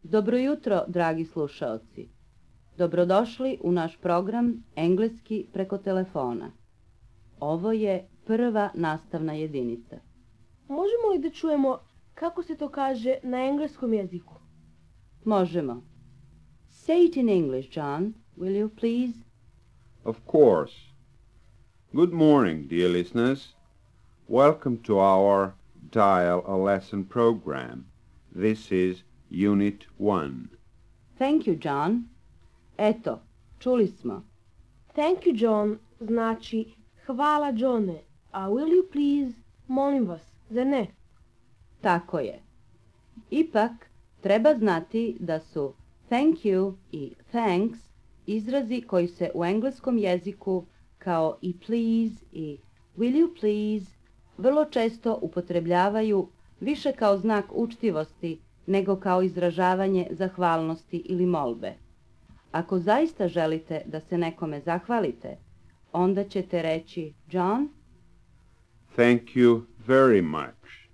Dobro jutro, dragi slušaoci. Dobrodošli u naš program Engleski preko telefona. Ovo je prva nastavna jedinica. Možemo li da čujemo kako se to kaže na engleskom jeziku? Možemo. Say it in English, John, will you please? Of course. Good morning, dear listeners. Welcome to our Dial a Lesson program. This is Unit 1. Thank you, John. Eto, čuli smo. Thank you, John, znači hvala, Johne, a will you please, molim vas, zar ne? Tako je. Ipak, treba znati da su thank you i thanks izrazi koji se u engleskom jeziku kao i please i will you please vrlo često upotrebljavaju više kao znak učtivosti nego kao izražavanje zahvalnosti ili molbe. Ako zaista želite da se nekome zahvalite, onda ćete reći John, Thank you very much.